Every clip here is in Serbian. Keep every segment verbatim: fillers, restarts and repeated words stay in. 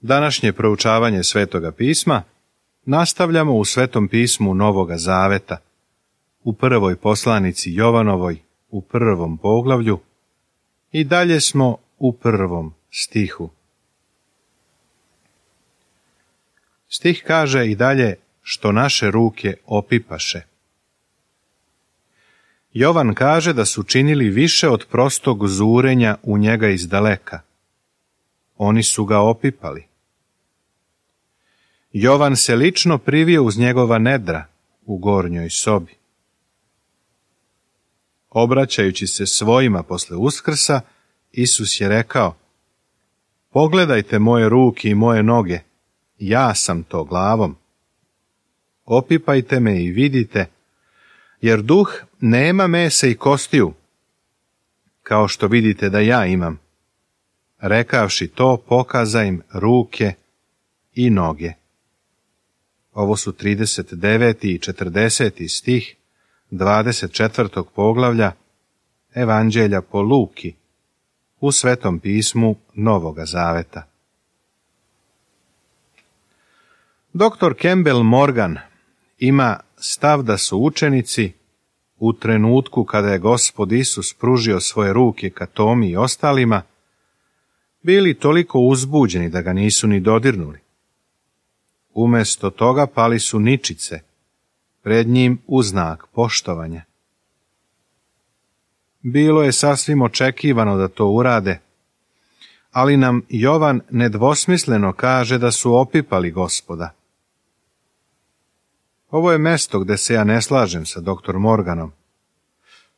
Današnje proučavanje Svetoga pisma nastavljamo u Svetom pismu Novoga Zaveta, u prvoj poslanici Jovanovoj, u prvom poglavlju, i dalje smo u prvom stihu. Stih kaže i dalje, što naše ruke opipaše. Jovan kaže da su činili više od prostog zurenja u njega izdaleka. Oni su ga opipali. Jovan se lično privio uz njegova nedra u gornjoj sobi. Obraćajući se svojima posle Uskrsa, Isus je rekao: pogledajte moje ruke i moje noge, ja sam to glavom. Opipajte me i vidite, jer duh nema mesa i kostiju, kao što vidite da ja imam. Rekavši to, pokaza im ruke i noge. Ovo su trideset deveti i četrdeseti stih dvadeset četvrtog poglavlja Evanđelja po Luki u Svetom pismu Novoga Zaveta. Doktor Campbell Morgan ima stav da su učenici u trenutku kada je Gospod Isus pružio svoje ruke ka Tomi i ostalima bili toliko uzbuđeni da ga nisu ni dodirnuli. Umesto toga pali su ničice pred njim u znak poštovanja. Bilo je sasvim očekivano da to urade, ali nam Jovan nedvosmisleno kaže da su opipali Gospoda. Ovo je mesto gde se ja ne slažem sa doktor Morganom.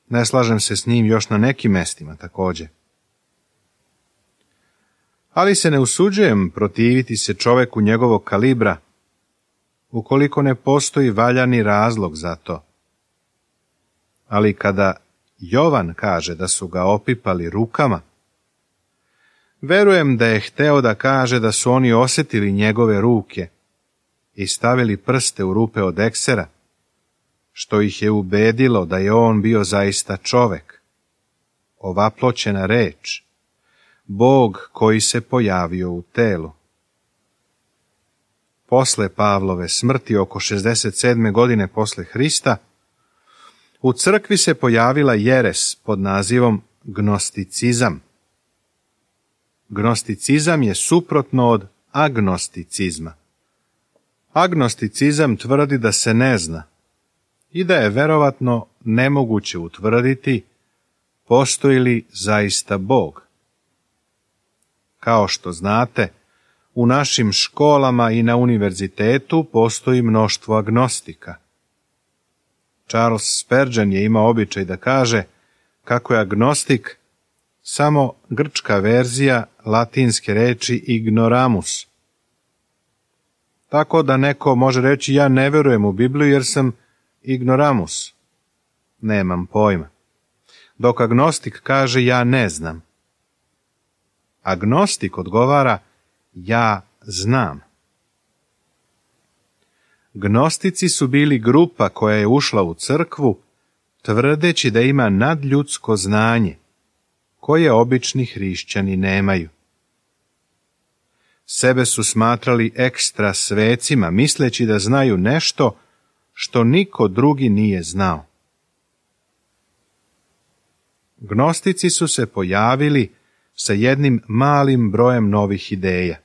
Ne slažem se s njim još na nekim mestima također. Ali se ne usuđujem protiviti se čoveku njegovog kalibra, ukoliko ne postoji valjani razlog za to. Ali kada Jovan kaže da su ga opipali rukama, verujem da je hteo da kaže da su oni osjetili njegove ruke i stavili prste u rupe od eksera, što ih je ubedilo da je on bio zaista čovek, ovaploćena reč, Bog koji se pojavio u telu. Posle Pavlove smrti, oko šezdeset sedme godine posle Hrista, u crkvi se pojavila jeres pod nazivom gnosticizam. Gnosticizam je suprotno od agnosticizma. Agnosticizam tvrdi da se ne zna i da je verovatno nemoguće utvrditi postoji li zaista Bog. Kao što znate, u našim školama i na univerzitetu postoji mnoštvo agnostika. Charles Spurgeon je imao običaj da kaže kako je agnostik samo grčka verzija latinske reči ignoramus. Tako da neko može reći ja ne verujem u Bibliju jer sam ignoramus. Nemam pojma. Dok agnostik kaže ja ne znam. Agnostik odgovara ja znam. Gnostici su bili grupa koja je ušla u crkvu tvrdeći da ima nadljudsko znanje koje obični hrišćani nemaju. Sebe su smatrali ekstra svecima, misleći da znaju nešto što niko drugi nije znao. Gnostici su se pojavili sa jednim malim brojem novih ideja,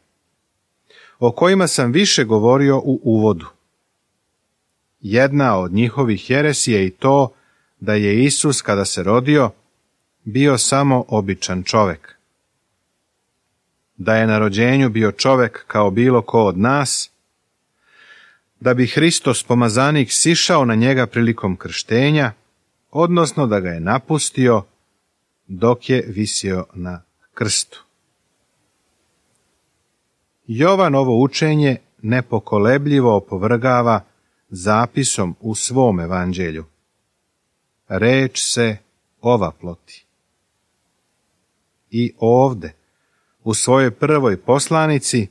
o kojima sam više govorio u uvodu. Jedna od njihovih heresi je i to da je Isus, kada se rodio, bio samo običan čovek. Da je na rođenju bio čovek kao bilo ko od nas, da bi Hristos pomazanik sišao na njega prilikom krštenja, odnosno da ga je napustio dok je visio na krstu. Jovan ovo učenje nepokolebljivo opovrgava zapisom u svom evanđelju. Reč se ovaploti. I ovde, u svojoj prvoj poslanici,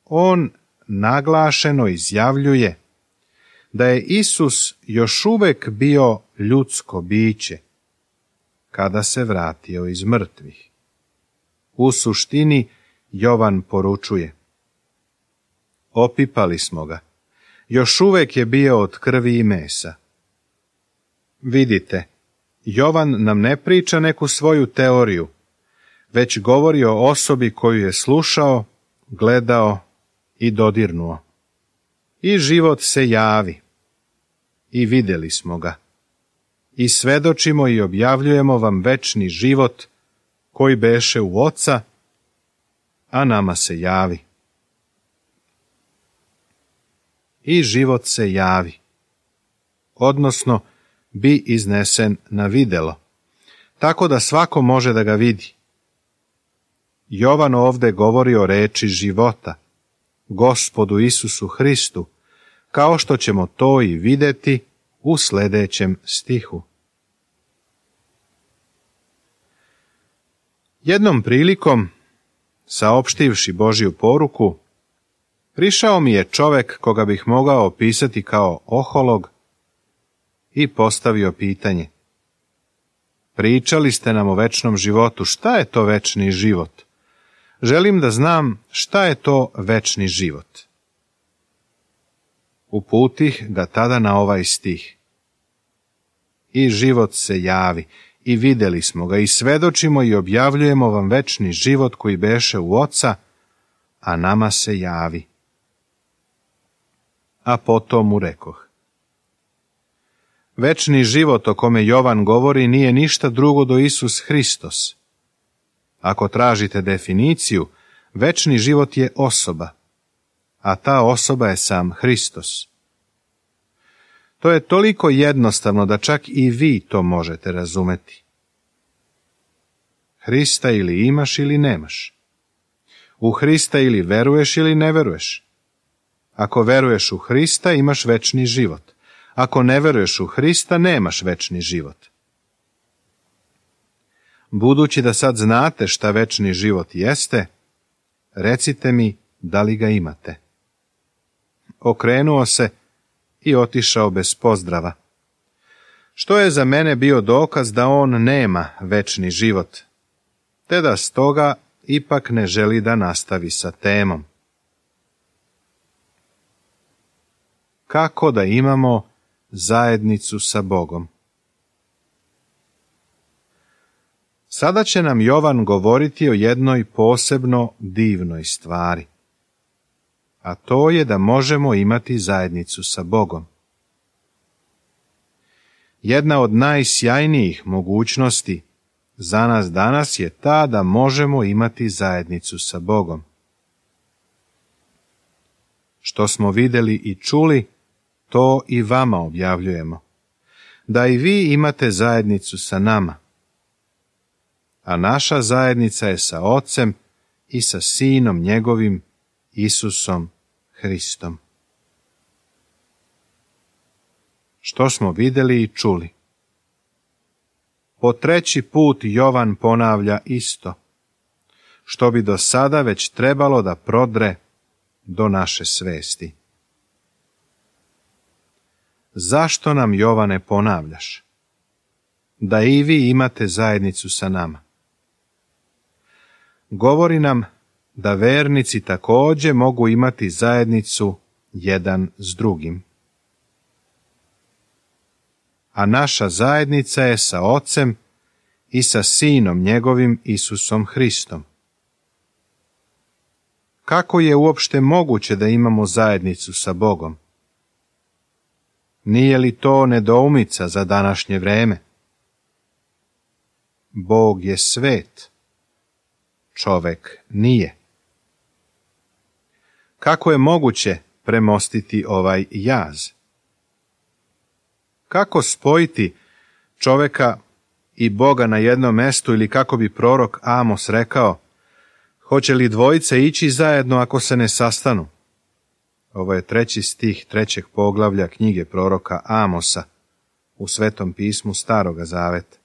on naglašeno izjavljuje da je Isus još uvek bio ljudsko biće kada se vratio iz mrtvih. U suštini, Jovan poručuje: opipali smo ga, još uvijek je bio od krvi i mesa. Vidite, Jovan nam ne priča neku svoju teoriju, već govori o osobi koju je slušao, gledao i dodirnuo. I život se javi. I vidjeli smo ga. I svedočimo i objavljujemo vam večni život koji beše u Oca, a nama se javi. I život se javi, odnosno bi iznesen na videlo, tako da svako može da ga vidi. Jovan ovdje govori o reči života, Gospodu Isusu Hristu, kao što ćemo to i vidjeti u sljedećem stihu. Jednom prilikom, saopštivši Božju poruku, prišao mi je čovek koga bih mogao opisati kao oholog i postavio pitanje: pričali ste nam o večnom životu, šta je to večni život? Želim da znam šta je to večni život. Uputih ga tada na ovaj stih: i život se javi, i vidjeli smo ga, i svedočimo i objavljujemo vam večni život koji beše u Oca, a nama se javi. A potom mu rekoh: večni život o kome Jovan govori nije ništa drugo do Isus Hristos. Ako tražite definiciju, večni život je osoba, a ta osoba je sam Hristos. To je toliko jednostavno da čak i vi to možete razumeti. Hrista ili imaš ili nemaš. U Hrista ili veruješ ili ne veruješ. Ako veruješ u Hrista, imaš večni život. Ako ne veruješ u Hrista, nemaš večni život. Budući da sad znate šta večni život jeste, recite mi da li ga imate. Okrenuo se i otišao bez pozdrava, što je za mene bio dokaz da on nema večni život, te da stoga ipak ne želi da nastavi sa temom. Kako da imamo zajednicu sa Bogom? Sada će nam Jovan govoriti o jednoj posebno divnoj stvari, a to je da možemo imati zajednicu sa Bogom. Jedna od najsjajnijih mogućnosti za nas danas je ta da možemo imati zajednicu sa Bogom. Što smo vidjeli i čuli, to i vama objavljujemo, da i vi imate zajednicu sa nama. A naša zajednica je sa Ocem i sa Sinom njegovim, Isusom Hristom. Što smo vidjeli i čuli? Po treći put Jovan ponavlja isto, što bi do sada već trebalo da prodre do naše svesti. Zašto nam, Jovane, ponavljaš? Da i vi imate zajednicu sa nama. Govori nam da vernici također mogu imati zajednicu jedan s drugim. A naša zajednica je sa Ocem i sa Sinom njegovim, Isusom Hristom. Kako je uopšte moguće da imamo zajednicu sa Bogom? Nije li to nedoumica za današnje vreme? Bog je svet, čovek nije. Kako je moguće premostiti ovaj jaz? Kako spojiti čoveka i Boga na jednom mestu, ili kako bi prorok Amos rekao, hoće li dvojice ići zajedno ako se ne sastanu? Ovo je treći stih trećeg poglavlja knjige proroka Amosa u Svetom pismu Staroga Zaveta.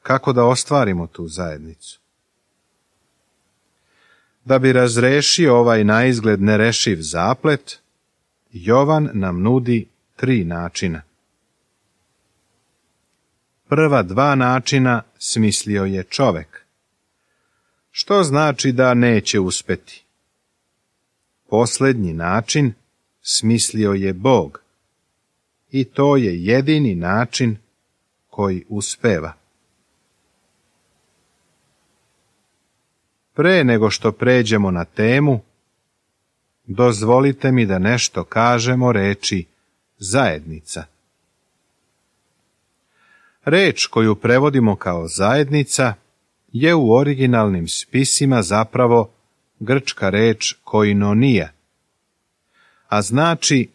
Kako da ostvarimo tu zajednicu? Da bi razrešio ovaj naizgled nerešiv zaplet, Jovan nam nudi tri načina. Prva dva načina smislio je čovek. što znači da neće uspeti. Posljednji način smislio je Bog i to je jedini način koji uspeva. Pre nego što pređemo na temu, dozvolite mi da nešto kažemo reči zajednica. Reč koju prevodimo kao zajednica je u originalnim spisima zapravo grčka reč koinonija, a znači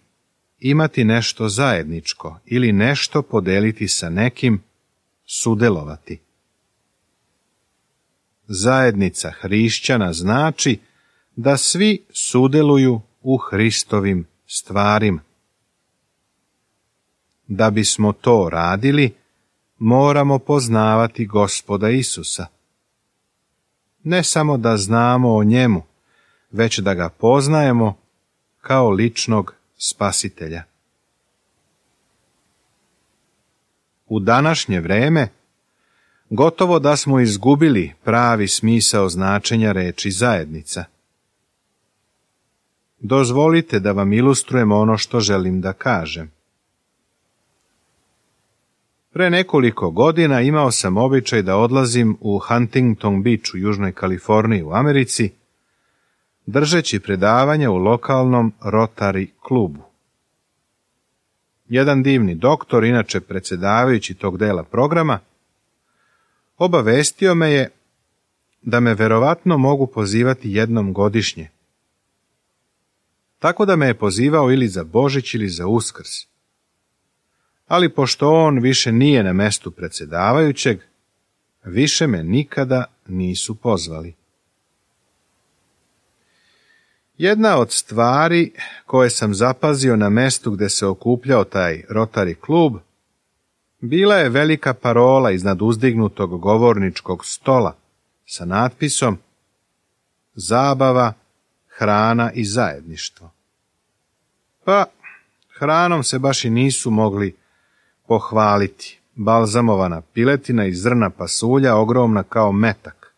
imati nešto zajedničko ili nešto podeliti sa nekim, sudelovati. Zajednica hrišćana znači da svi sudeluju u Hristovim stvarima. Da bismo to radili, moramo poznavati Gospoda Isusa. Ne samo da znamo o njemu, već da ga poznajemo kao ličnog spasitelja. U današnje vreme gotovo da smo izgubili pravi smisao značenja reči zajednica. Dozvolite da vam ilustrujem ono što želim da kažem. Pre nekoliko godina imao sam običaj da odlazim u Huntington Beach u Južnoj Kaliforniji u Americi, držeći predavanja u lokalnom Rotary klubu. Jedan divni doktor, inače predsjedavajući tog dela programa, obavestio me je da me verovatno mogu pozivati jednom godišnje. Tako da me je pozivao ili za Božić ili za Uskrs. Ali pošto on više nije na mestu predsjedavajućeg, više me nikada nisu pozvali. Jedna od stvari koje sam zapazio na mestu gde se okupljao taj Rotary klub, bila je velika parola iznad uzdignutog govorničkog stola sa natpisom zabava, hrana i zajedništvo. Pa, hranom se baš i nisu mogli pohvaliti. Balzamovana piletina i zrna pasulja ogromna kao metak.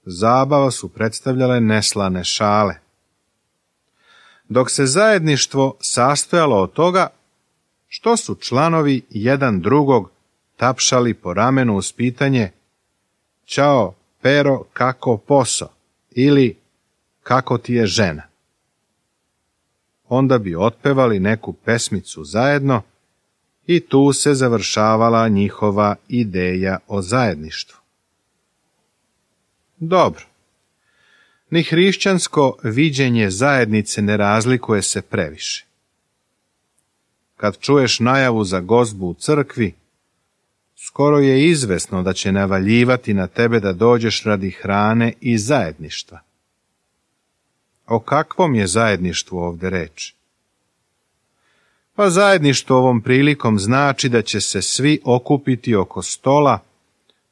Zabava su predstavljale neslane šale. Dok se zajedništvo sastojalo od toga što su članovi jedan drugog tapšali po ramenu uz pitanje "Ćao, Pero, kako poso?" ili "Kako ti je žena?" Onda bi otpevali neku pesmicu zajedno i tu se završavala njihova ideja o zajedništvu. Dobro. Ni hrišćansko viđenje zajednice ne razlikuje se previše. Kad čuješ najavu za gozbu u crkvi, skoro je izvesno da će navaljivati na tebe da dođeš radi hrane i zajedništva. O kakvom je zajedništvu ovdje reč? Pa zajedništvo ovom prilikom znači da će se svi okupiti oko stola,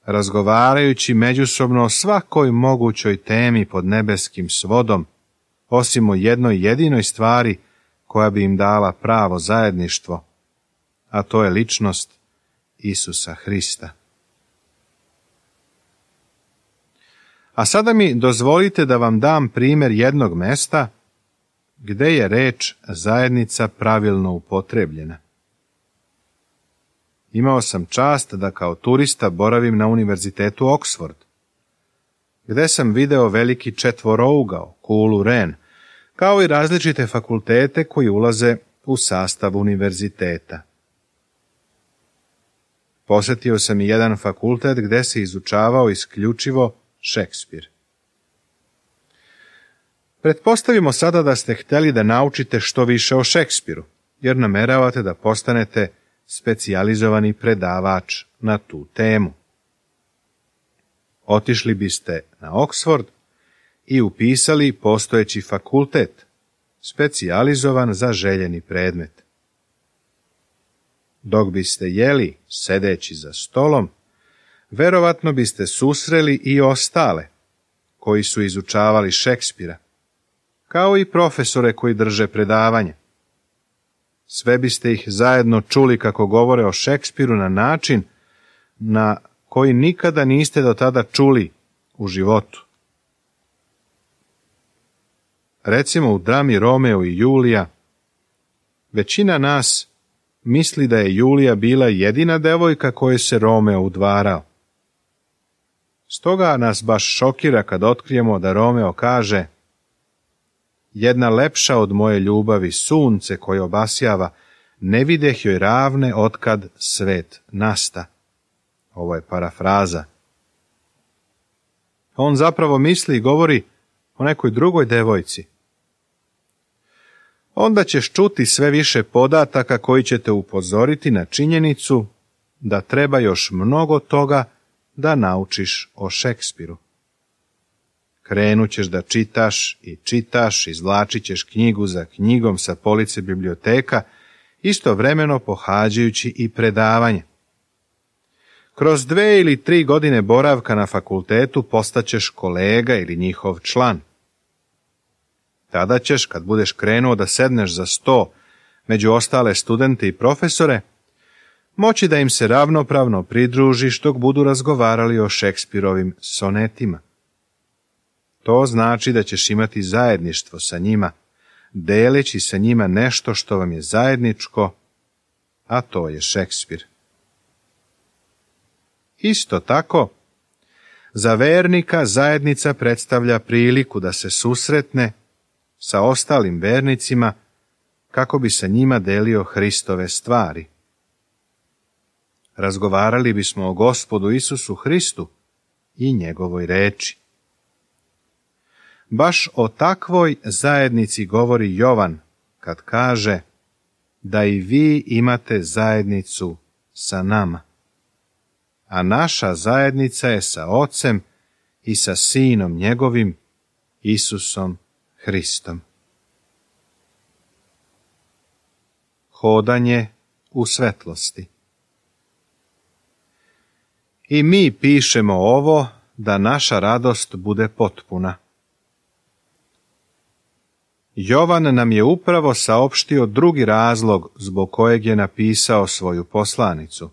razgovarajući međusobno o svakoj mogućoj temi pod nebeskim svodom, osim o jednoj jedinoj stvari koja bi im dala pravo zajedništvo, a to je ličnost Isusa Hrista. A sada mi dozvolite da vam dam primjer jednog mesta gde je reč zajednica pravilno upotrebljena. Imao sam čast da kao turista boravim na Univerzitetu Oxford, gde sam video veliki četvorougao, kulu Ren, kao i različite fakultete koji ulaze u sastav univerziteta. Posjetio sam i jedan fakultet gde se izučavao isključivo Šekspir. Pretpostavimo sada da ste htjeli da naučite što više o Šekspiru, jer nameravate da postanete specijalizovani predavač na tu temu. Otišli biste na Oxford i upisali postojeći fakultet, specijalizovan za željeni predmet. Dok biste jeli sedeći za stolom, verovatno biste susreli i ostale koji su izučavali Šekspira, kao i profesore koji drže predavanje. Sve biste ih zajedno čuli kako govore o Šekspiru na način na koji nikada niste do tada čuli u životu. Recimo u drami Romeo i Julija, većina nas misli da je Julija bila jedina devojka kojoj se Romeo udvarao. Stoga nas baš šokira kad otkrijemo da Romeo kaže: jedna lepša od moje ljubavi, sunce koje obasjava, ne videh joj ravne otkad svet nasta. Ovo je parafraza. On zapravo misli i govori o nekoj drugoj devojci. Onda ćeš čuti sve više podataka koji će te upozoriti na činjenicu da treba još mnogo toga da naučiš o Šekspiru. Krenut ćeš da čitaš i čitaš, izvlačit ćeš knjigu za knjigom sa police biblioteka, istovremeno pohađajući i predavanje. Kroz dve ili tri godine boravka na fakultetu postaćeš kolega ili njihov član. Tada ćeš, kad budeš krenuo da sedneš za sto među ostale studente i profesore, moći da im se ravnopravno pridružiš dok budu razgovarali o Šekspirovim sonetima. To znači da ćeš imati zajedništvo sa njima, deleći sa njima nešto što vam je zajedničko, a to je Šekspir. Isto tako, za vernika zajednica predstavlja priliku da se susretne sa ostalim vernicima kako bi sa njima delio Hristove stvari. Razgovarali bismo o Gospodu Isusu Hristu i njegovoj reči. Baš o takvoj zajednici govori Jovan kad kaže da i vi imate zajednicu sa nama. A naša zajednica je sa Ocem i sa Sinom njegovim, Isusom Hristom. Hodanje u svetlosti. I mi pišemo ovo da naša radost bude potpuna. Jovan nam je upravo saopštio drugi razlog zbog kojeg je napisao svoju poslanicu.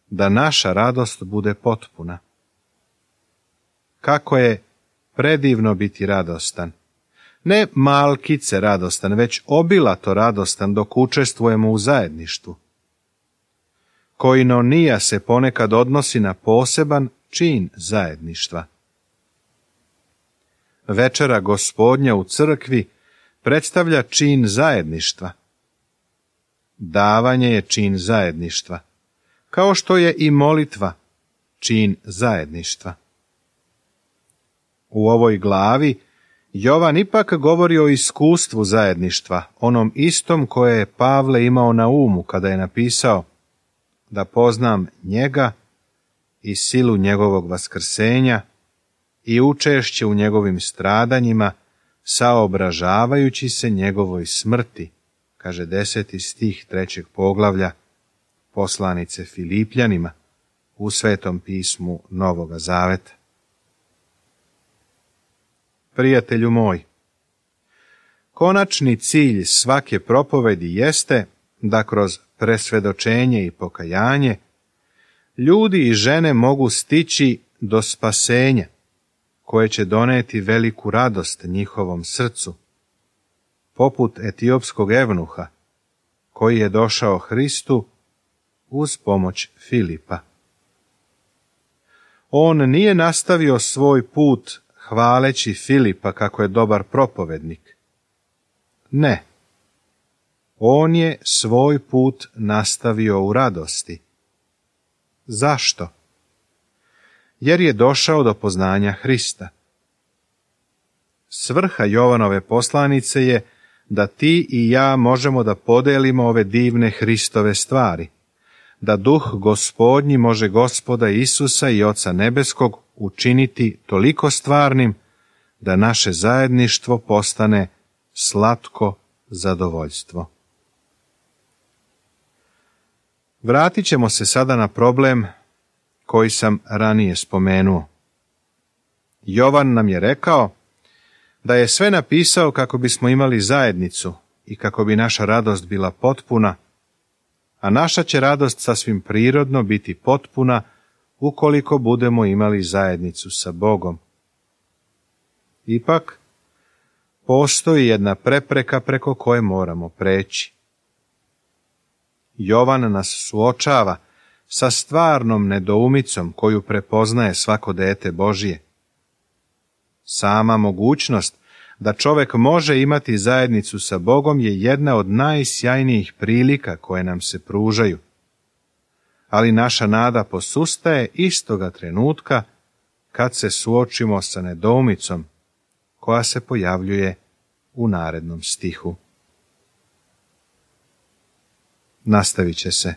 Da naša radost bude potpuna. Kako je predivno biti radostan. Ne malkice radostan, već obilato radostan dok učestvujemo u zajedništvu. Koinonija se ponekad odnosi na poseban čin zajedništva. Večera Gospodnja u crkvi predstavlja čin zajedništva. Davanje je čin zajedništva, kao što je i molitva čin zajedništva. U ovoj glavi Jovan ipak govori o iskustvu zajedništva, onom istom koje je Pavle imao na umu kada je napisao da poznam njega i silu njegovog vaskrsenja i učešće u njegovim stradanjima, saobražavajući se njegovoj smrti, kaže deseti stih trećeg poglavlja poslanice Filipljanima u Svetom pismu Novoga Zaveta. Prijatelju moj, konačni cilj svake propovedi jeste da kroz presvedočenje i pokajanje ljudi i žene mogu stići do spasenja, koje će doneti veliku radost njihovom srcu, poput etiopskog evnuha, koji je došao Hristu uz pomoć Filipa. On nije nastavio svoj put hvaleći Filipa kako je dobar propovednik. Ne. On je svoj put nastavio u radosti. Zašto? Jer je došao do poznanja Hrista. Svrha Jovanove poslanice je da ti i ja možemo da podelimo ove divne Hristove stvari, da duh Gospodnji može Gospoda Isusa i Oca Nebeskog učiniti toliko stvarnim da naše zajedništvo postane slatko zadovoljstvo. Vratit ćemo se sada na problem koji sam ranije spomenuo. Jovan nam je rekao da je sve napisao kako bismo imali zajednicu i kako bi naša radost bila potpuna, a naša će radost sasvim prirodno biti potpuna ukoliko budemo imali zajednicu sa Bogom. Ipak, postoji jedna prepreka preko koje moramo preći. Jovan nas suočava sa stvarnom nedoumicom koju prepoznaje svako dete Božje. Sama mogućnost da čovjek može imati zajednicu sa Bogom je jedna od najsjajnijih prilika koje nam se pružaju. Ali naša nada posustaje istoga trenutka kad se suočimo sa nedoumicom koja se pojavljuje u narednom stihu. Nastavit će se